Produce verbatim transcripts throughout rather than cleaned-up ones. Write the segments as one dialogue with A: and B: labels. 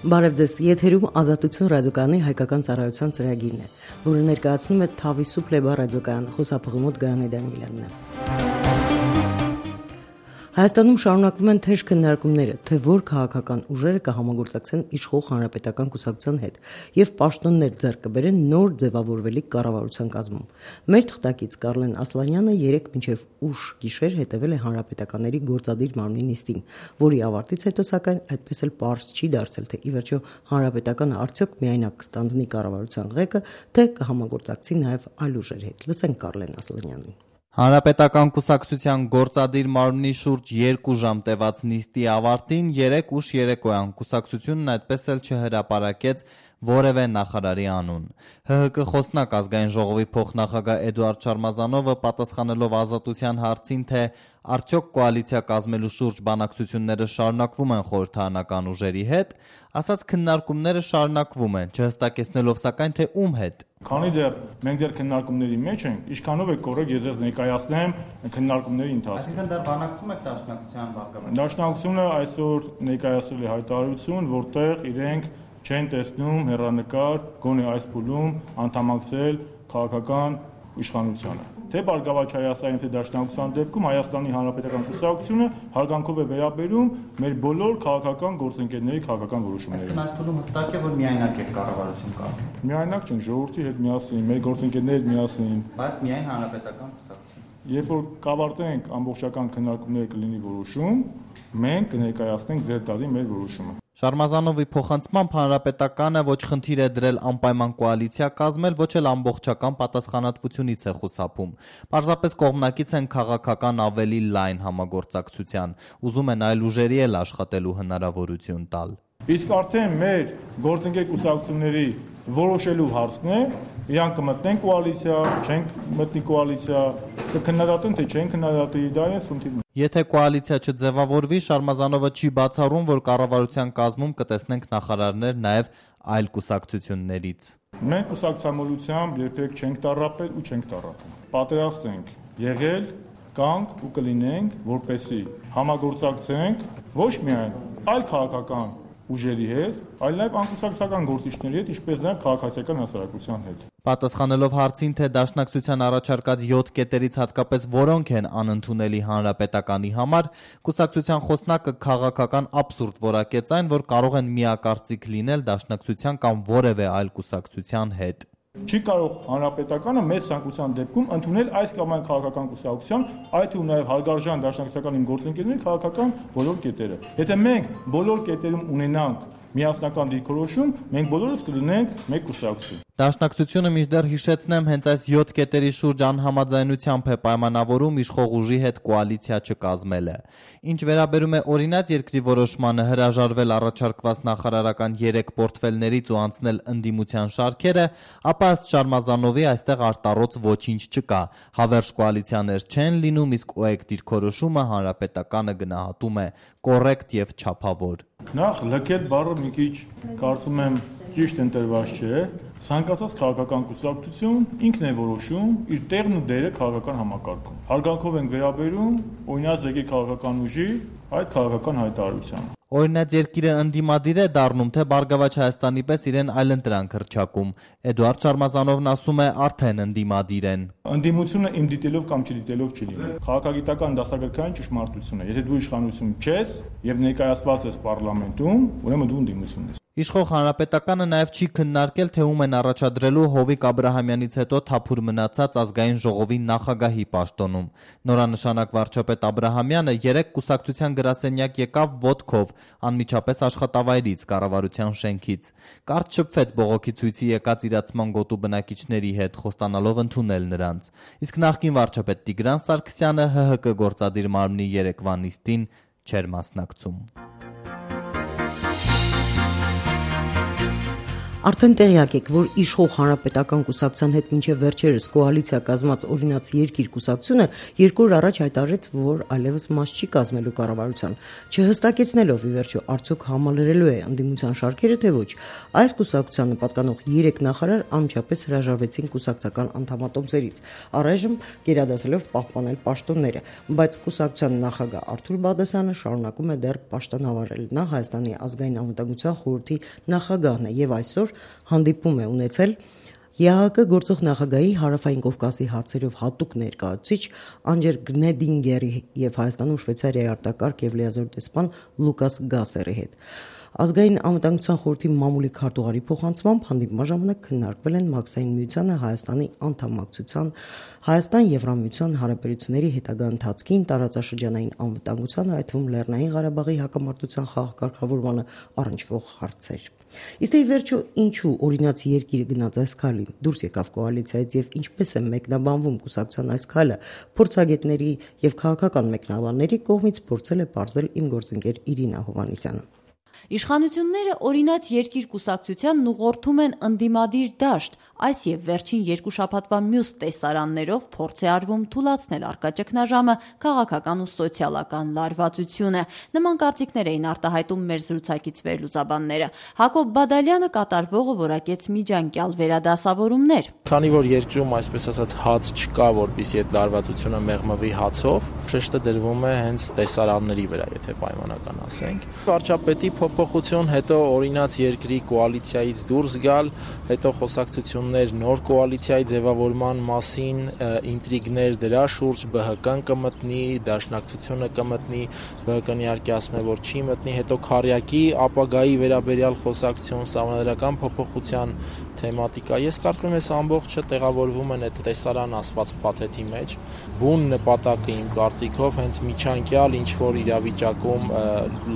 A: Բարև ձեզ, եթերում Ազատություն ռադիոկայանի հայկական ծառայության ծրագիրն է, որը ներկայացնում է Թավիսու Պլեբա ռադիոկայան, խոսափողումոտ Գայանե Դանիելյանն է։ Հայաստանում շարունակվում են թեժ քննարկումները, թե որ քաղաքական ուժերը կհամագործակցեն իշխող հանրապետական կուսակցության հետ եւ պաշտոններ ձեռք կբերեն նոր ձևավորվելիք կառավարության կազմում։ Մեր թղթակից Կարլեն Ասլանյանը երեկ մինչեւ ուշ գիշեր հետևել է հանրապետականների գործադիր մարմնի նիստին, որի ավարտից հետո սակայն այդպես էլ պարզ չի դարձել, թե ի վերջո հանրապետականը արդյոք միայնակ կստանձնի կառավարության ղեկը, թե կհամագործակցի նաեւ այլ ուժերի հետ։ Լսենք Կարլեն Ասլանյանին։
B: Հանրապետական կուսակցության գործադիր մարմնի շուրջ երկու ժամ տևած նիստի ավարտին երեք ուշ երեկոյան կուսակցությունն այդպես էլ չհրապարակեց որևէ նախարարի անուն։ ՀՀԿ խոսնակ ազգային ժողովի փոխնախագահ Էդուարդ Շարմազանովը պատասխանելով Ազատության հարցին, թե արդյոք կոալիցիա կազմելու շուրջ բանակցությունները շարունակվում են խորհրդարանական ուժերի հետ, ասաց քննարկումները շարունակվում են, չհստակեցնելով սակայն թե ում հետ։
C: Քանի դեռ մենք դեռ քննարկումների մեջ ենք, ինչքանով է կորեք ես ձեզ ներկայացնեմ քննարկումների ընթացքը։
B: Այսինքն դեռ բանակցում եք Դաշնակցության բարգավաճ։
C: Դաշնակցությունը այսօր ներկայացրել է հայտարարություն, որտեղ իրենք չեն տեսնում հեռանկար գոնե այս փուլում անդամակցել քաղաքական իշխանությանը։ Թե Բարգավաճ Հայաստանի, թե Դաշնակցության դեպքում Հայաստանի Հանրապետական կուսակցությունը հարգանքով է վերաբերում մեր բոլոր քաղաքական գործընկերների քաղաքական որոշումներին։
B: Այս փուլում հստակ է, որ միայնակ է կառավարություն կազմում։
C: Միայնակ չենք, ժողովրդի հետ միասին, մեր գործընկերների հետ միասին։
B: Բայց միայն Հանրապետական կուսակցություն։
C: Երբ որ կավարտենք ամբողջական քննարկումները կլինի որոշում, մենք կներկայացնենք ձեր տալի մեր որոշումը։
B: Շարմազանովի փոխանցմամբ հանրապետականը ոչ խնդիր է դրել անպայման կոալիցիա կազմել, ոչ էլ ամբողջական պատասխանատվությունից է խուսափում։ Պարզապես կողմնակից են քաղաքական ավելի լայն համագործակցության, ուզում են այլ ուժերի էլ աշխատելու հնարավորություն տալ։
C: Իսկ արդեն մեր գործընկեր կուսակցությունների որոշելու հարցն է, իրանք կմտնեն կոալիցիա, չենք մտնի կոալիցիա, կքննադատեն, թե չեն քննադատի, դա է խնդիրը։
B: Եթե կոալիցիա չձևավորվի, Շարմազանովը չի բացառում, որ կառավարության կազմում կտեսնենք նախարարներ նաև այլ կուսակցություններից։
C: Մենք կուսակցամոլությամբ երբեք չենք տառապել ու չենք տառապում։ Պատրաստ ենք եղել, կանք ու կլինենք, որպեսզի համագործակցենք ոչ միայն այլ քաղաքական ուժերի հետ, այլ նաև անկուսակցական գործիչների հետ, ինչպես նաև քաղաքացիական հասարակության հետ։
B: Պատասխանելով հարցին, թե Դաշնակցության առաջարկած յոթ կետերից հատկապես որոնք են անընդունելի հանրապետականի համար, կուսակցության խոսնակը քաղաքական աբսուրդ որակեց այն, որ կարող են միակարծիք լինել Դաշնակցության կամ որևէ այլ կուսակցության հետ։
C: Չի կարող հանրապետականը մեծ ցանկության դեպքում ընդունել այս կամ այն քաղաքական կուսակցության, այդ թվում նաև հարգարժան դաշնակցական իմ գործընկերների քաղաքական բոլոր կետերը։ Եթե մենք բոլոր կետերում ունենանք միասնական դիրքորոշում, մենք բոլորս կլինենք մեկ կուսակցություն։
B: Դաշնակցությունը մինչդեռ հիշեցնեմ հենց այս յոթ կետերի շուրջ անհամաձայնությամբ է պայմանավորում իշխող ուժի հետ կոալիցիա չկազմելը։ Ինչ վերաբերում է օրինաց երկրի որոշմանը հրաժարվել առաջարկված նախարարական երեք պորտֆելներից ու անցնել ընդդիմության շարքերը, ապա ըստ Շարմազանովի այստեղ արտառոց ոչինչ չկա։ Հավերժ կոալիցիաներ չեն լինում, իսկ օեկ դիրքորոշումը հանրապետականը գնահատում է կոռեկտ եւ չափավոր։
C: Նախ լքել բառը մի քիչ կարծում եմ ճիշտ ընտրված չէ։ Ցանկացած քաղաքական կուսակցություն ինքն է որոշում իր տեղն ու դերը քաղաքական համակարգում։ Հարգանքով ենք վերաբերում օրինաց եկի քաղաքական ուժի այդ քաղաքական հայտարարությանը։
B: Օրինաց երկիրը ընդդիմադիր է դառնում, թե Բարգավաճ Հայաստանի պես իրեն այլընտրանք հռչակում։ Էդուարդ Շարմազանովն ասում է արդեն ընդդիմադիր են։
C: Ընդդիմությունը իմ դիտելով կամ չդիտելով չի լինի։ Քաղաքագիտական դասագրքային ճշմարտություն է։ Եթե դու իշխանություն չես եւ ներկայացված ես պարլամենտում, ուրեմն դու ընդդիմություն ես։
B: Իշխող հանրապետականը նաև չի քննարկել, թե ում են առաջադրելու Հովիկ Աբրահամյանից հետո թափուր մնացած ազգային ժողովի նախագահի պաշտոնում։ Նորանշանակ վարչապետ Աբրահամյանը երեք կուսակցության գրասենյակ եկավ ոտքով, անմիջապես աշխատավայրից, կառավարության շենքից։ Կարճ շփվեց բողոքի ցույցի եկած իրացման գոտու բնակիչների հետ, խոստանալով ընդունել նրանց։ Իսկ նախկին վարչապետ Տիգրան Սարգսյանը ՀՀԿ գործադիր մարմնի երեկվա նիստին չէր մասնակցում։
A: Արդեն տեղյակ եք, որ իշխող հանրապետական կուսակցության հետ մինչև վերջերս կոալիցիա կազմած օրինաց երկիր կուսակցությունը երկու օր առաջ հայտարարեց, որ այլևս մաս չի կազմելու կառավարության, չհստակեցնելով ի վերջո արդյոք համալրելու է ընդդիմության շարքերը, թե ոչ։ Այս կուսակցությանը պատկանող երեք նախարար անմիջապես հրաժարվեցին կուսակցական անդամատոմսերից, առայժմ գերադասելով պահպանել պաշտոնները, բայց կուսակցության նախագահ Արթուր Բաղդասարյանը շարունակում է դեռ պաշտոնավարել։ Նա Հայաստանի ազգային անվտանգության խորհրդի նախագահն է եւ այսօր հանդիպում է ունեցել ԵԱՀԿ գործող նախագահի Հարավային Կովկասի հարցերով հատուկ ներկայացուցիչ Անջեր Գնեդինգերի եւ Հայաստանում Շվեյցարիայի արտակարգ եւ լիազոր դեսպան Լուկաս Գասերի հետ։ Ազգային անվտանգության խորհրդի մամուլի քարտուղարի փոխանցմամբ հանդիպման ժամանակ քննարկվել են Մաքսային միությանը Հայաստանի անդամակցության, Հայաստան-Եվրամիության հարաբերությունների հետագա ընթացքին, տարածաշրջանային անվտանգությանը, այդ թվում Լեռնային Ղարաբաղի հակամարտության խաղակարգավորմանը առնչվող հարցեր։ Իսկ ի վերջո ինչու օրինաց երկիրը գնաց այս քայլին, դուրս եկավ կոալիցիայից եւ ինչպես է մեկնաբանվում կուսակցության այս քայլը, փորձագետների եւ քաղաքական մեկնաբանների կողմից փորձել է բարձել իմ գործընկեր Իրինա Հովհաննիսյանը։
D: Իշխանությունները օրինաց երկիր կուսակցությանն ուղղորդում են ընդդիմադիր դաշտ, այս եւ վերջին երկու շաբաթվա մյուս տեսարաններով փորձ է արվում թուլացնել առկա ճգնաժամը, քաղաքական ու սոցիալական լարվածությունը։ Նման կարծիքներ էին արտահայտում մեր զրուցակից վերլուծաբանները։ Հակոբ Բադալյանը կատարվողը որակեց միջանկյալ վերադասավորումներ։
E: Քանի որ երկրում այսպես ասած հաց չկա, որպեսզի այդ լարվածությունը մեղմվի հացով, շեշտը դրվում է հենց տեսարանների վրա, եթե պայմանական ասենք։ Վարչապետի փոփոխություն, հետո օրինաց երկրի կոալիցիայից դուրս գալ, հետո խոսակցություններ նոր կոալիցիայի ձևավորման մասին, ինտրիգներ դրա շուրջ, ԲՀԿ-ն կմտնի, դաշնակցությունը կմտնի, ԲՀԿ-ն իհարկե ասում է, որ չի մտնի, հետո քարյակի ապագայի վերաբերյալ խոսակցություն, սահմանադրական փոփոխության թեմատիկա։ Ես կարծում եմ, այս ամբողջը տեղավորվում են այդ տեսարան ասված փաթեթի մեջ։ Բուն նպատակը իմ կարծիքով հենց միջանկյալ ինչ որ իրավիճակում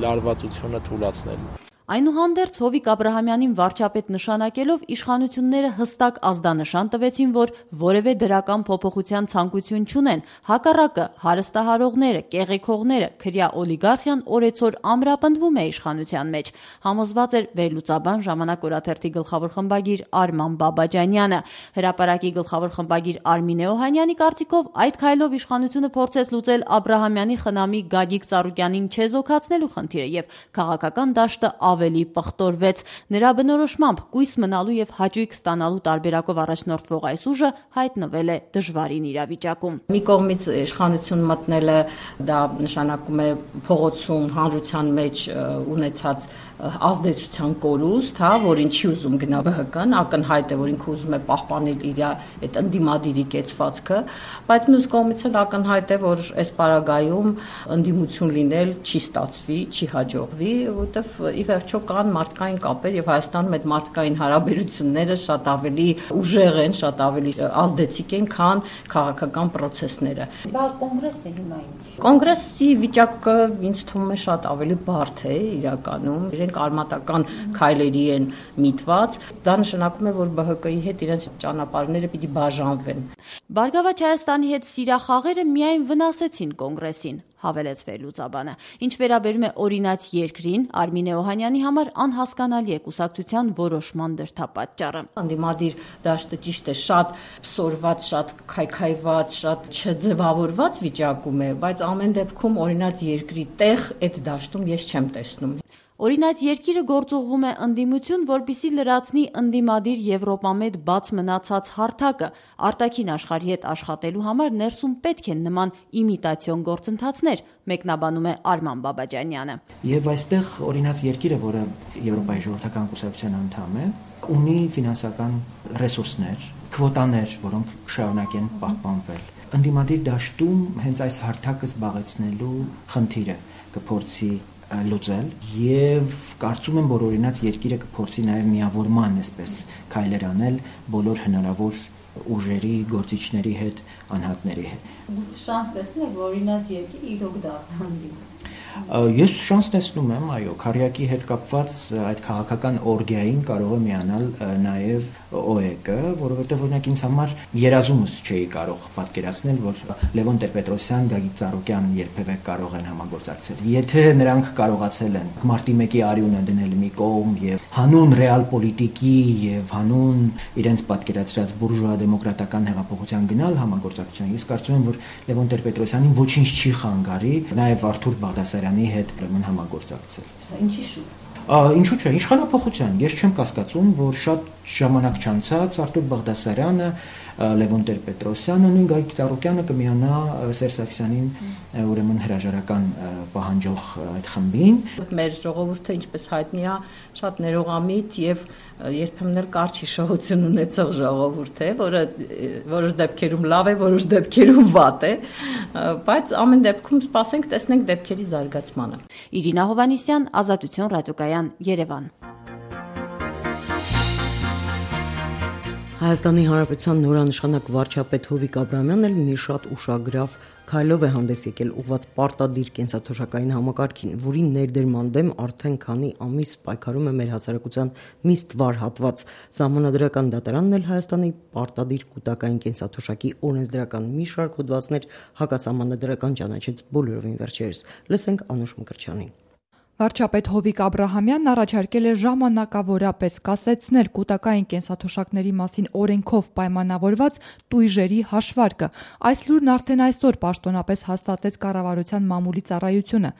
E: լարվածությունը թուլացնելն է։
D: Այնուհանդերձ Հովիկ Աբրահամյանին վարչապետ նշանակելով իշխանությունները հստակ ազդանշան տվեցին, որ որևէ դրական փոփոխության ցանկություն չունեն, հակառակը հարստահարողները, կեղեքողները, քրյա օլիգարխիան օրեցօր ամրապնդվում է իշխանության մեջ, համոզված էր վերլուծաբան Ժամանակ օրաթերթի գլխավոր խմբագիր Արման Բաբաջանյանը։ Հրապարակի գլխավոր խմբագիր Արմինե Օհանյանի կարծիքով այդ քայլով իշխանությունը փորձեց լուծել Աբրահամյանի խնամի Գագիկ Ծառուկյանին չեզոքացնելու խնդիրը եւ քաղաքական դաշտը ավելի պղտորվեց։ Նրա բնորոշմամբ կույս մնալու եւ հաճույք ստանալու տարբերակով առաջնորդվող այս ուժը հայտնվել է դժվարին իրավիճակում։
F: Մի կողմից իշխանություն մտնելը դա նշանակում է փողոցում հանրության մեջ ունեցած ազդեցության կորուստ, հա, որին չի ուզում գնա ԲՀԿ-ն, ակնհայտ է, որ ինքը ուզում է պահպանել իր այդ ընդդիմադիրի կեցվածքը, բայց մյուս կողմից էլ ակնհայտ է, որ այս պարագայում ընդդիմություն լինել չի ստացվի, չի հաջողվի, որովհետև ի վերջո կան մարդկային կապեր եւ Հայաստանում այդ մարդկային հարաբերությունները շատ ավելի ուժեղ են, շատ ավելի ազդեցիկ են, քան քաղաքական process-ները։
D: Բա կոնգրեսը հիմա ինչ։
F: Կոնգրեսի վիճակը ինձ թվում է շատ ավելի բարդ է իրականում։ Իրենք արմատական քայլերի են միտված, դա նշանակում է, որ ԲՀԿ-ի հետ իրենց ճանապարհները պիտի բաժանվեն։
D: Բարգավաճ Հայաստանի հետ սիրախաղերը միայն վնասեցին կոնգրեսին, հավելեց վերլուծաբանը։ Ինչ վերաբերում է օրինաց երկրին, Արմինե Օհանյանի համար անհասկանալի է կուսակցության որոշման դրդապատճառը։
F: Անդիմադիր դաշտը ճիշտ է, շատ փսորված, շատ քայքայված, շատ չձևավորված վիճակում է, բայց ամեն դեպքում օրինաց երկրի տեղ այդ դաշտում ես չեմ տեսնում։
D: Օրինաց երկիրը գործուղվում է ընդդիմություն, որպիսի լրացնի ընդդիմադիր Եվրոպամետ բաց մնացած հարթակը։ Արտաքին աշխարհի հետ աշխատելու համար ներսում պետք են նման իմիտացիոն գործընթացներ, մեկնաբանում է Արման Բաբաջանյանը։
G: Եվ այստեղ օրինաց երկիրը, որը Եվրոպայի ժողովրդական կուսակցության անդամ է, ունի ֆինանսական ռեսուրսներ, քվոտաներ, որոնք շարունակ են պահպանվել։ Ընդդիմադիր դաշտում հենց այս հարթակը զբաղեցնելու խնդիրը կփորձի լուծել եւ կարծում եմ, որ օրինաց երկիրը կփորձի նաեւ միավորման այսպես քայլեր անել բոլոր հնարավոր ուժերի, գործիչների հետ, անհատների հետ։
D: Շանս տեսնում եք, որ օրինաց երկիրը իրոք դառնալու։
G: Ես շանս տեսնում եմ, այո, քարյակի հետ կապված այդ քաղաքական օրգիային կարող է միանալ նաև օ է կը, որովհետև օրինակ ինձ համար երազումս չէի կարող պատկերացնել, որ Լևոն Տեր-Պետրոսյան, Գագիկ Ծառուկյան երբևէ կարող են համագործակցել։ Եթե նրանք կարողացել են մարտի մեկի արյունը դնել մի կողմ եւ հանուն ռեալ պոլիտիկի եւ հանուն իրենց պատկերացրած բուրժուա դեմոկրատական հեղափոխության գնալ համագործակցության, ես կարծում եմ, որ Լևոն Տեր-Պետրոսյանին ոչինչ չի խանգարի նաև Արթուր Բաղդասարյանի հետ ուրեմն համագործակցել։
F: Ինչի շուտ։
G: Ինչու՞ չէ, իշխանափոխության։ Ես չեմ կասկածում, որ շատ ժամանակ չանցած Արթուր Բաղդասարյանը, Լևոն Տեր-Պետրոսյանը, նույն Գագիկ Ծառուկյանը կմիանա Սերժ Սարգսյանին ուրեմն հրաժարական պահանջող այդ խմբին։
F: Մեր ժողովուրդը, ինչպես հայտնի է, շատ ներողամիտ եւ երբեմն էլ կարճ հիշողություն ունեցող ժողովուրդ է, որը որոշ դեպքերում լավ է, որոշ դեպքերում վատ է, բայց ամեն դեպքում սպասենք, տեսնենք դեպքերի զարգացմանը։
D: Իրինա Հովհաննիսյան, Ազատություն ռադիոկայան, Երևան։
A: Հայաստանի Հանրապետության նորանշանակ վարչապետ Հովիկ Աբրահամյանն էլ մի շատ ուշագրավ քայլով է հանդես եկել ուղղված պարտադիր կենսաթոշակային համակարգին, որի ներդերման դեմ արդեն քանի ամիս պայքարում է մեր հասարակության մի ստվար հատված։ Սահմանադրական դատարանն էլ Հայաստանի պարտադիր կուտակային կենսաթոշակի օրենսդրական մի շարք հոդվածներ հակասահմանադրական ճանաչեց բոլորովին վերջերս։ Լսենք Անուշ Մկրտչյանին։
H: Վարչապետ Հովիկ Աբրահամյանն առաջարկել է ժամանակավորապես կասեցնել կուտակային կենսաթոշակների մասին օրենքով պայմանավորված տույժերի հաշվարկը։ Այս լուրն արդեն այսօր պաշտոնապես հաստատեց կառավարության մամուլի ծառայությունը։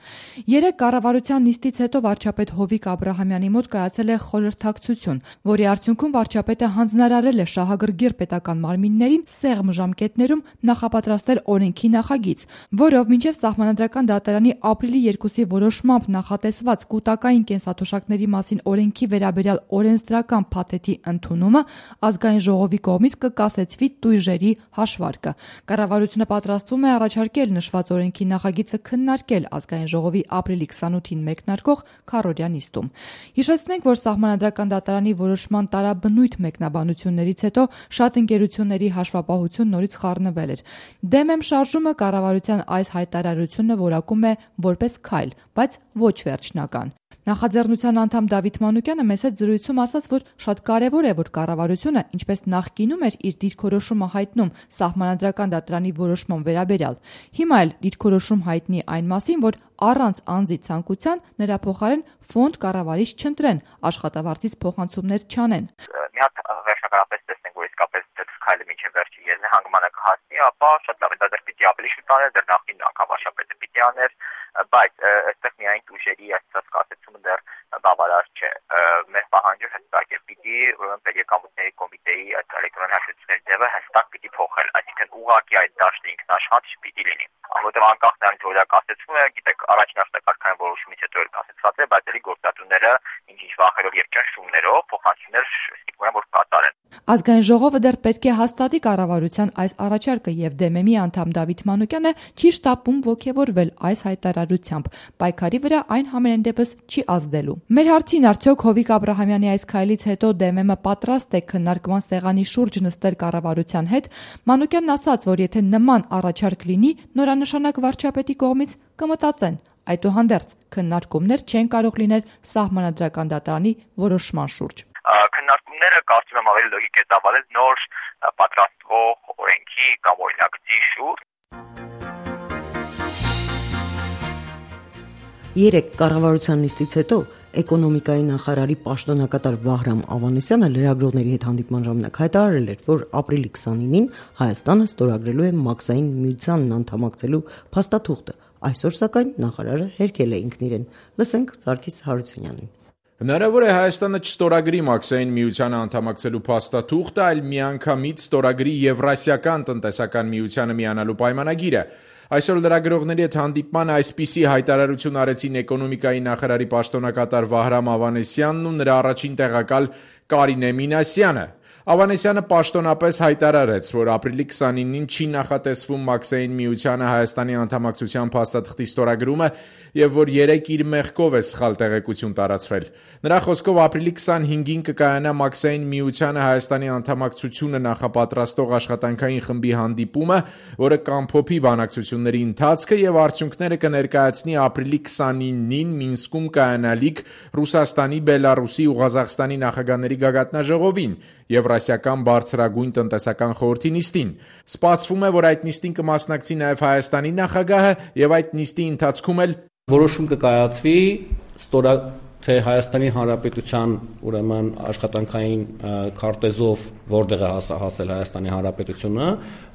H: Երեկ կառավարության նիստից հետո վարչապետ Հովիկ Աբրահամյանի մոտ կայացել է խորհրդակցություն, որի արդյունքում վարչապետը հանձնարարել է շահագրգիռ պետական մարմիններին սեղմ ժամկետներում նախապատրաստել օրենքի նախագիծ, որով մինչև Սահմանադրական դատարանի ապրիլի երկուսի որոշմամբ նախատեսված տեսված կուտակային կենսաթոշակների մասին օրենքի վերաբերյալ օրենսդրական փաթեթի ընդունումը ազգային ժողովի կողմից կկասեցվի տույժերի հաշվարկը։ Կառավարությունը պատրաստվում է առաջարկել նշված օրենքի նախագիծը քննարկել ազգային ժողովի ապրիլի քսանութին մեկնարկող քառօրյա նիստում։ Հիշեցնենք, որ Սահմանադրական դատարանի որոշման տարաբնույթ մեկնաբանություններից հետո շատ ընկերությունների հաշվապահություն նորից խառնվել էր։ Դեմ եմ շարժումը կառավարության այս հայտարարությունը որակում է որպես քայլ, բայց ոչ վերջնական։ Նախաձեռնության անդամ Դավիթ Մանուկյանը մեծ զրույցում ասաց, որ շատ կարևոր է, որ կառավարությունը, ինչպես նախկինում էր իր դիրքորոշումը հայտնում Սահմանադրական դատարանի որոշման վերաբերյալ, հիմա էլ դիրքորոշում հայտնի այն մասին, որ առանց անձի ցանկության նրա փոխարեն ֆոնդ կառավարիչ չընտրեն, աշխատավարձից փոխանցումներ չանեն։
I: Մի հատ վերջնականապես տեսնենք, որ իսկապես դեռ քայլը մինչև վերջի եզրահանգմանը կհասնի, ապա շատ լավ է, դա դեռ պիտի ավելի շուտ անել, դեռ նախին անգամ վարչապետը պիտի աներ, բայց այստեղ միայն տույժերի այսպես կասեցումը դեռ բավարար չէ։ Մեր պահանջը հստակ է, պիտի ուրեմն Պետեկամուտների կոմիտեի այդ էլեկտրոն հաշվետվությունների ձևը հստակ պիտի փոխել, այսինքն ուղղակի այդ դաշտը ինքնաշխատ չպիտի լինի։ Որովհետև անկախ նրանից որ դա կասեցվում է, գիտեք, առաջին աշտակարգային որոշումից հետո էլ կասեցված է, բայց էլի գործատուները ինչ-ինչ վախերով եւ ճնշումներով փոխանցումներ ստիպում են որ կատարեն։
H: Ազգային ժողովը դեռ պետք է հաստատի կառավարության այս առաջարկը եւ դեմեմի անդամ Դավիթ Մանուկյանը չի շտապում ողջևորվել այս հայտարարությամբ։ Պայքարի վրա այն համենայն դեպս չի ազդելու։ Մեր հարցին արդյոք Հովիկ Աբրահամյանի այս քայլից հետո դեմեմը պատրաստ է քննարկման սեղանի շուրջ նստել կառավարության հետ, Մանուկյանն ասաց, որ եթե նման առաջարկ լինի, նորանշանակ վարչապետի կողմից կմտածեն։ Այդուհանդերձ քննարկումներ չեն կարող լինել Սահմանադրական դատարանի որոշման շուրջ։
I: Քննարկումները կարծում եմ ավելի լոգիկ է ծավալել նոր պատրաստվող օրենքի կամ օրինագծի շուրջ։
A: Երեք կառավարության նիստից հետո էկոնոմիկայի նախարարի պաշտոնակատար Վահրամ Ավանեսյանը լրագրողների հետ հանդիպման ժամանակ հայտարարել էր, որ ապրիլի քսանինին Հայաստանը ստորագրելու է Մաքսային միությանն անդամակցելու փաստաթուղթը։ Այսօր սակայն նախարարը հերքել է ինքն իրեն։ Լսենք Սարգիս Հարությունյանին։
J: Հնարավոր է Հայաստանը չստորագրի Մաքսային միությանը անդամակցելու փաստաթուղթը, այլ միանգամից ստորագրի Եվրասիական տնտեսական միությանը միանալու պայմանագիրը։ Այսօր լրագրողների հետ հանդիպման այսպիսի հայտարարություն արեցին էկոնոմիկայի նախարարի պաշտոնակատար Վահրամ Ավանեսյանն ու նրա առաջին տեղակալ Կարինե Մինասյանը։ Ավանեսյանը պաշտոնապես հայտարարեց, որ ապրիլի քսանինին չի նախատեսվում Մաքսային միությանը Հայաստանի անդամակցության փաստաթղթի ստորագրումը եւ որ երեք իր մեղքով է սխալ տեղեկություն տարածվել։ Նրա խոսքով ապրիլի քսանհինգին կկայանա Մաքսային միությանը Հայաստանի անդամակցությունը նախապատրաստող աշխատանքային խմբի հանդիպումը, որը կամփոփի բանակցությունների ընթացքը եւ արդյունքները կներկայացնի ապրիլի քսանինին Մինսկում կայանալիք Ռուսաստանի, Բելարուսի ու Ղազախստանի նախագահների գագաթնաժողովին Եվրասիական բարձրագույն տնտեսական խորհրդի նիստին։ Սպասվում է, որ այդ նիստին կմասնակցի նաև Հայաստանի նախագահը եւ այդ նիստի ընթացքում էլ
K: որոշում կկայացվի ստորա թե Հայաստանի Հանրապետության ուրեմն աշխատանքային քարտեզով որտեղ է հասել Հայաստանի Հանրապետությունը,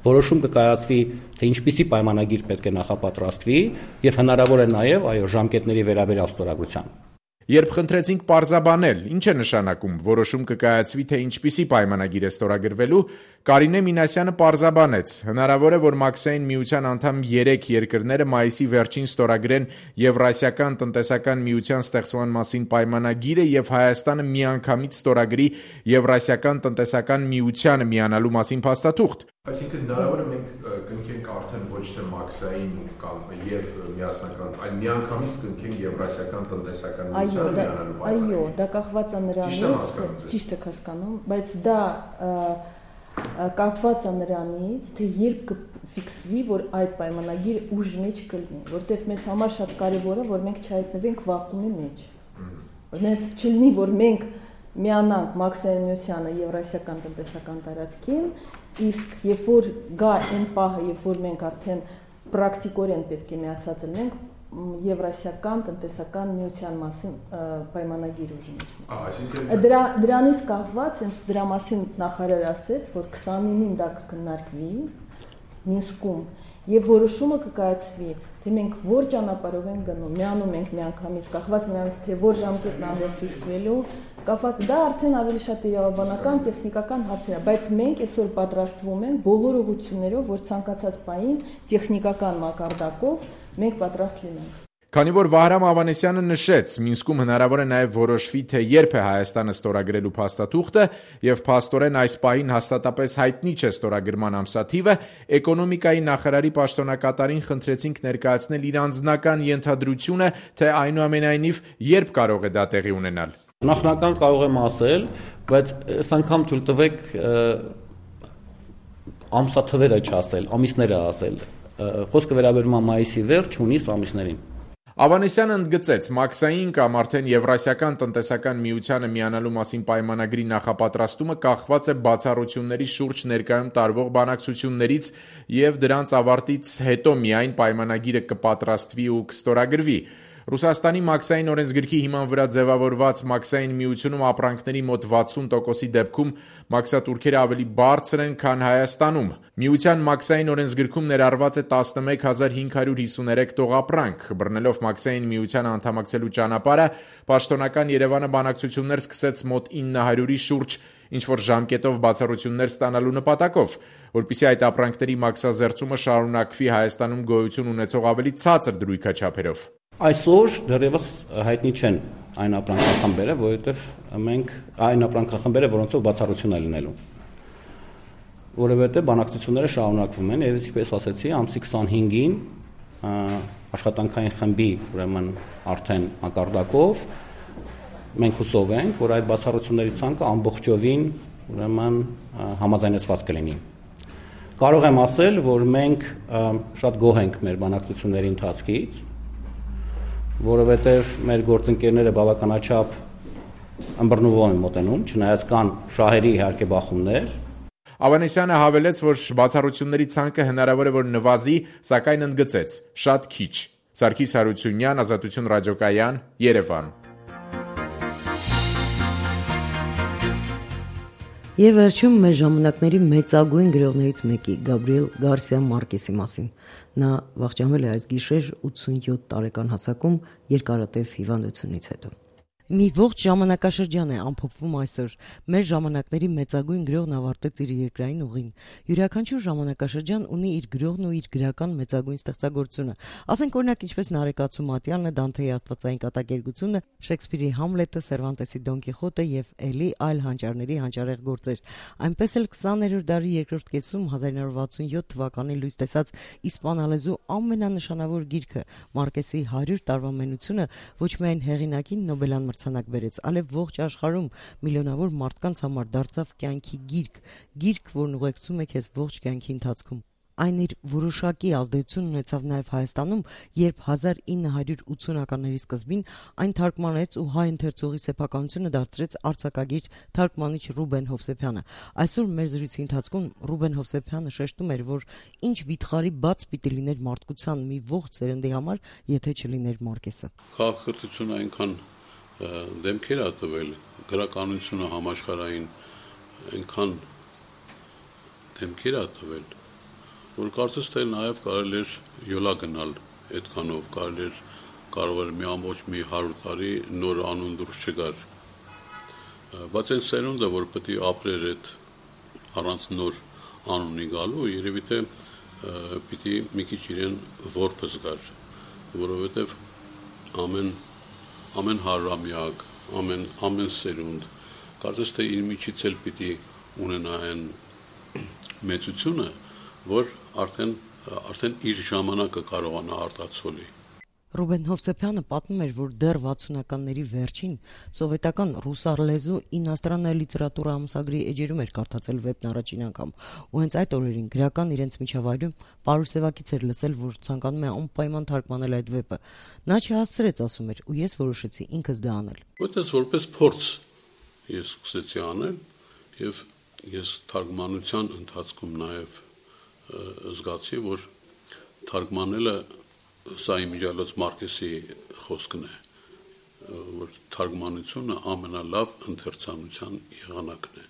K: որոշում կկայացվի թե ինչպիսի պայմանագիր պետք է նախապատրաստվի եւ հնարավոր է նաեւ այո ժամկետների վերաբերյալ ստորագրության։
J: Երբ խնդրեցինք պարզաբանել, ինչ է նշանակում որոշում կկայացվի, թե ինչպիսի պայմանագիր է ստորագրվելու, Կարինե Մինասյանը պարզաբանեց. հնարավոր է, որ Մաքսային միության անդամ երեք երկրները մայիսի վերջին ստորագրեն Եվրասիական տնտեսական միության ստեղծման մասին պայմանագիրը եւ Հայաստանը միանգամից ստորագրի Եվրասիական տնտեսական միությանը միանալու մասին փաստաթուղթ։
L: Այսինքն հնարավոր է մենք կնքենք արդեն ոչ թե Մաքսային կամ եւ միասնական, այլ միանգամից կնքենք Եվրասիական տնտեսական միությանը միանալու պայմանագիրը։
M: Այո, դա կախված է նրանից, ճիշտ եք հասկանում, բայց դա կապված է նրանից, թե երբ կֆիքսվի, որ այդ պայմանագիրը ուժի մեջ կլինի, որտեղ մեզ համար շատ կարևոր է, որ մենք չհայտնվենք վակուումի մեջ։ Հենց չլինի, որ մենք միանանք Մաքսային միությանը Եվրասիական տնտեսական տարածքին, իսկ երբ որ գա այն պահը, երբ որ մենք արդեն պրակտիկորեն պետք է միացած լինենք Եվրասիական տնտեսական միության մասին պայմանագիր ուժի մեջ։ Դրա դրանից կախված հենց դրա մասին նախարարը ասեց, որ քսանինին դա կքննարկվի Մինսկում եւ որոշումը կկայացվի, թե մենք որ ճանապարհով ենք գնում, միանում ենք միանգամից, կախված նրանից թե որ ժամկետն է ֆիքսվելու, կախված դա արդեն ավելի շատ իրավաբանական, տեխնիկական հարցեր է, բայց մենք այսօր պատրաստվում ենք բոլոր ուղղություններով, որ ցանկացած պահին տեխնիկական մակարդակով մենք պատրաստ լինենք։
J: Քանի որ Վահրամ Ավանեսյանը նշեց, Մինսկում հնարավոր է նաև որոշվի, թե երբ է Հայաստանը ստորագրելու փաստաթուղթը եւ փաստորեն այս պահին հաստատապես հայտնի չէ ստորագրման ամսաթիվը, էկոնոմիկայի նախարարի պաշտոնակատարին խնդրեցինք ներկայացնել իր անձնական ենթադրությունը, թե այնուամենայնիվ երբ կարող է դա տեղի ունենալ։
K: Նախնական կարող եմ ասել, բայց այս անգամ թույլ տվեք ամսաթվերը չասել, ամիսները ասել։ Խոսքը վերաբերում է մայիսի վերջ, հունիս ամիսներին։
J: Ավանեսյանը ընդգծեց, Մաքսային կամ արդեն Եվրասիական տնտեսական միությանը միանալու մասին պայմանագրի նախապատրաստումը կախված է բացառությունների շուրջ ներկայում տարվող բանակցություններից եւ դրանց ավարտից հետո միայն պայմանագիրը կպատրաստվի ու կստորագրվի։ Ռուսաստանի Մաքսային օրենսգրքի հիման վրա ձևավորված Մաքսային միությունում ապրանքների մոտ վաթսուն տոկոսի դեպքում մաքսատուրքերը ավելի բարձր են, քան Հայաստանում։ Միության Մաքսային օրենսգրքում ներառված է տասնմեկ հազար հինգ հարյուր հիսուներեք տողապրանք։ Բռնելով Մաքսային միությանը անդամակցելու ճանապարհը, պաշտոնական Երևանը բանակցություններ սկսեց մոտ ինը հարյուրի շուրջ, ինչ-որ ժամկետով բացառություններ ստանալու նպատակով, որպեսզի այդ ապրանքների մաքսազերծումը շարունակվի Հայաստանում գոյություն ունեցող ավելի ցածր դրույքաչափերով։
K: Այսօր դեռևս հայտնի չեն այն ապրանքախմբերը, որովհետև մենք այն ապրանքախմբերը, որոնցով բացառություն է լինելու։ Որովհետև բանակցությունները շարունակվում են, եւ ինչպես ասացի, ամսի քսանհինգին աշխատանքային խմբի, ուրեմն արդեն մակարդակով մենք հուսով ենք, որ այդ բացառությունների ցանկը ամբողջովին ուրեմն համաձայնեցված կլինի։ Կարող եմ ասել, որ մենք շատ գոհ ենք մեր բանակցությունների ընթացքից, որովհետև մեր գործընկերները բավականաչափ ըմբռնումով են մոտենում, չնայած կան շահերի իհարկե բախումներ։
J: Ավանեսյանը հավելեց, որ բացառությունների ցանկը հնարավոր է որ նվազի, սակայն ընդգծեց՝ շատ քիչ։ Սարգիս Հարությունյան, Ազատություն ռադիոկայան, Երևան։
A: Եվ վերջում մեր ժամանակների մեծագույն գրողներից մեկի Գաբրիել Գարսիա Մարկեսի մասին։ Նա վախճանվել է այս գիշեր ութսունյոթ տարեկան հասակում երկարատև հիվանդությունից հետո։ Մի ողջ ժամանակաշրջան է ամփոփվում այսօր։ Մեր ժամանակների մեծագույն գրողն ավարտեց իր երկրային ուղին։ Յուրաքանչյուր ժամանակաշրջան ունի իր գրողն ու իր գրական մեծագույն ստեղծագործությունը։ Ասենք օրինակ ինչպես Նարեկացու Մատյանը, Դանթեի Աստվածային կատակերգությունը, Շեքսպիրի Համլետը, Սերվանտեսի Դոն Կիխոտը եւ էլի այլ հանճարների հանճարեղ գործեր։ Այնպես էլ քսաներորդ դարի երկրորդ կեսում հազար ինը հարյուր վաթսունյոթ թվականին լույս տեսած իսպանալեզու ամենանշանավոր գիրքը Մարկեսի հարյուր տարվա մենությունը ոչ միայն հեղինակին Նոբելյան մրցանակ բերեց, այլև ողջ աշխարհում միլիոնավոր մարդկանց համար դարձավ կյանքի գիրք, գիրք, որն ուղեկցում է քեզ ողջ կյանքի ընթացքում։ Այն իր որոշակի ազդեցություն ունեցավ նաև Հայաստանում, երբ հազար ինը հարյուր ութսունականների սկզբին այն թարգմանեց ու հայ ընթերցողի սեփականությունը դարձրեց արձակագիր թարգմանիչ Ռուբեն Հովսեփյանը։ Այսօր մեր զրույցի ընթացքում Ռուբեն Հովսեփյանը շեշտում էր, որ ինչ վիթխարի բաց պիտի լիներ մարդկության մի ողջ սերնդի համար, եթե չլիներ Մարկեսը։
N: Քաղաքակրթությունը այնքան դեմքեր ա տվել, գրականությունը համաշխարհային այնքան դեմքեր ա տվել, որ կարծես թե նաև կարելի էր յոլա գնալ այդքանով, կարելի էր կարող էր մի ամբողջ մի հարյուր տարի նոր անուն դուրս չգար։ Բայց այն սերունդը, որ պետք է ապրեր այդ առանց նոր անունի գալու, երևի թե պիտի մի քիչ իրեն որբը զգար, որովհետև ամեն ամեն հարյուրամյակ, ամեն ամեն սերունդ կարծես թե իր միջից էլ պիտի ունենա այն մեծությունը, որ արդեն արդեն իր ժամանակը կարողանա արտացոլի։
A: Ռուբեն Հովսեփյանը պատմում էր, որ դեռ վաթսունականների վերջին սովետական ռուսալեզու ինաստրանная լիտերատուրա ամսագրի էջերում էր կարդացել վեպն առաջին անգամ, ու հենց այդ օրերին գրական իրենց միջավայրում Պարուսևակից էր լսել, որ ցանկանում է անպայման թարգմանել այդ վեպը։ Նա չհասցրեց, ասում էր, ու ես որոշեցի ինքս դա անել։
N: Որտես որպես փորձ ես սկսեցի անել, եւ ես թարգմանության ընթացքում նաեւ զգացի, որ թարգմանելը սա իմիջիալոց Մարկեսի խոսքն է, որ թարգմանությունը ամենալավ ընթերցանության եղանակն է։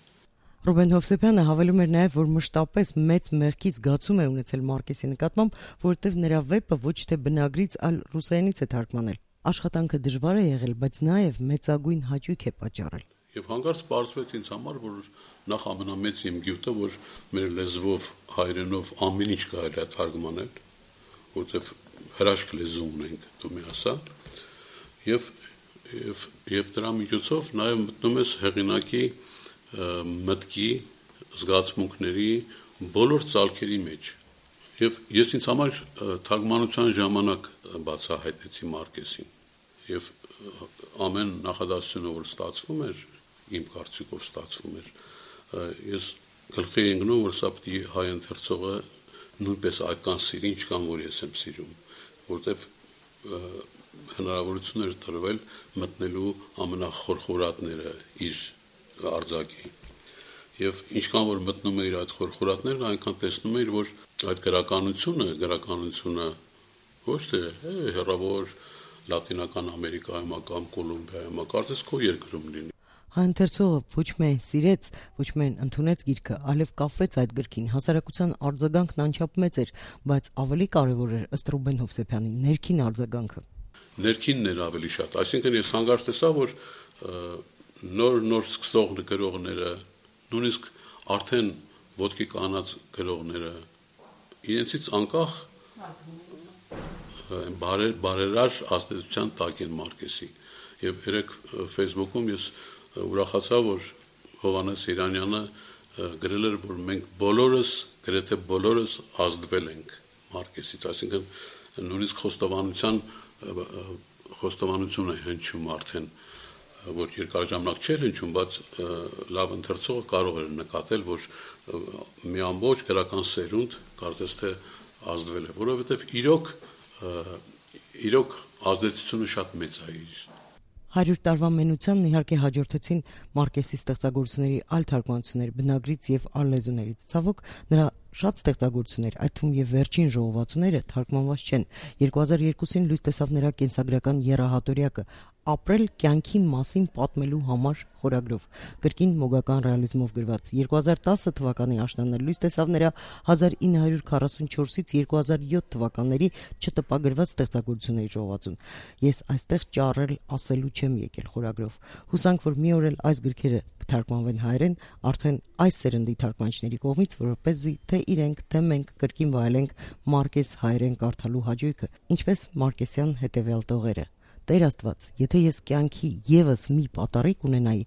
A: Ռուբեն Հովսեփյանը հավելում էր նաև, որ մշտապես մեծ մեղքի զգացում է ունեցել Մարկեսի նկատմամբ, որովհետև նրա վեպը ոչ թե բնագրից, այլ ռուսերենից է թարգմանել։ Աշխատանքը դժվար է եղել, բայց նաև մեծագույն հաճույք է պատճառել։
N: Եվ հանկարծ պարզվեց ինձ համար, որ նախ ամենամեծ իմ գյուտը, որ մեր լեզվով, հայերենով ամեն ինչ կարելի է թարգմանել, որտեղ հրաշք լեզու ունենք, դու մի ասա, եւ եւ եւ դրա միջոցով նաեւ մտնում ես հեղինակի մտքի, զգացմունքների բոլոր ցալքերի մեջ։ Եվ ես ինձ համար թարգմանության ժամանակ բացահայտեցի Մարկեսին։ Եվ ամեն նախադասությունը, որ ստացվում էր, իմ կարծիքով ստացվում էր, ես գլխի ընկնում, որ սա պիտի հայ ընթերցողը նույնպես այդքան սիրի, ինչքան որ ես եմ սիրում, որտեվ հնարավորություն էր տրվել մտնելու ամենախորխորատները իր արձակի։ Եվ ինչքան որ մտնում էր այդ խորխորատներն, այնքան տեսնում էր, որ այդ գրականությունը, գրականությունը ոչ թե հեռավոր Լատինական Ամերիկայում կամ Կոլումբիայում, կարծես քո երկրում լինի։
A: Հայընթերցողը ոչ միայն սիրեց, ոչ միայն ընդունեց գիրքը, այլև կապվեց այդ գրքին։ Հասարակության արձագանքն անչափ մեծ էր, բայց ավելի կարևոր էր ըստ Ռուբեն Հովսեփյանի ներքին արձագանքը։
N: Ներքինն էր ավելի շատ, այսինքն ես հանգարց տեսա, որ նոր նոր սկսող գրողները, նույնիսկ արդեն ոտքի կանած գրողները իրենցից անկախ բարերար ազդեցության տակ են Մարկեսի։ Եվ երեք Facebook-ում ես ուրախացա, որ Հովհաննես Իրանյանը գրել էր, որ մենք բոլորս, գրեթե բոլորս ազդվել ենք Մարկեսից, այսինքն նույնիսկ խոստովանության խոստովանություն է հնչում արդեն, որ երկար ժամանակ չէր հնչում, բայց լավ ընթերցողը կարող էր նկատել, որ մի ամբողջ գրական սերունդ կարծես թե ազդվել է, որովհետև իրոք իրոք ազդեցությունը շատ մեծ է իր։
A: հարյուր տարվա մենությանն իհարկե հաջորդեցին Մարկեսի ստեղծագործությունների այլ թարգմանություններ բնագրից եւ այլ լեզուներից։ Ցավոք, նրա շատ ստեղծագործություններ, այդ թվում եւ վերջին ժողովածուները թարգմանված չեն։ երկու հազար երկուսին լույս տեսավ նրա կենսագրական եռահատորյակը, ապրել կյանքի մասին պատմելու համար խորագրով, կրկին մոգական ռեալիզմով գրված։ երկու հազար տասը թվականի աշնանը լույս տեսավ նրա հազար ինը հարյուր քառասունչորսից երկու հազար յոթ թվականների չտպագրված ստեղծագործությունների ժողովածուն։ Ես այստեղ ճառել ասելու չեմ եկել խորագրով։ Հուսանք, որ մի օր էլ այս գրքերը կթարգմանվեն հայերեն, արդեն այս սերնդի թարգմանիչների կողմից, որպեսզի թե իրենք, թե մենք կրկին վայելենք Մարկես հայերեն կարդալու հաճույքը, ինչպես Մարկեսյան հետևյալ տողերը։ Տեր Աստված, եթե ես կյանքի եւս մի պատարիկ ունենայի,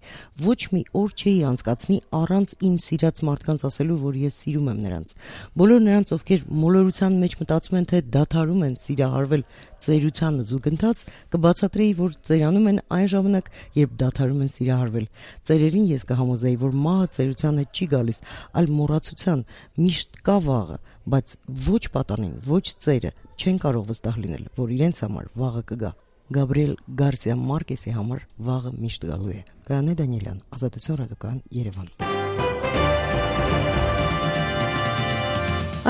A: ոչ մի օր չէի անցկացնի առանց իմ սիրած մարդկանց ասելու, որ ես սիրում եմ նրանց։ Բոլոր նրանց, ովքեր մոլորության մեջ մտածում են, թե դադարում են սիրահարվել ծերությանը զուգընթաց, կբացատրեի, որ ծերանում են այն ժամանակ, երբ դադարում են սիրահարվել։ Ծերերին ես կհամոզեի, որ մահը ծերության հետ չի գալիս, այլ մոռացության, միշտ կա վաղը, բայց ոչ պատանին, ոչ ծերը չեն կարող վստահ լինել, որ իրենց համար վաղը կգա։ Գաբրիել Գարսիա Մարկեսի համար վաղը միշտ գալու է։ Գայանե Դանիելյան, Ազատություն ռադիոկայան, Երևան։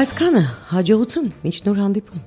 A: Այսքանը հաջողություն, մինչ նոր հանդիպում։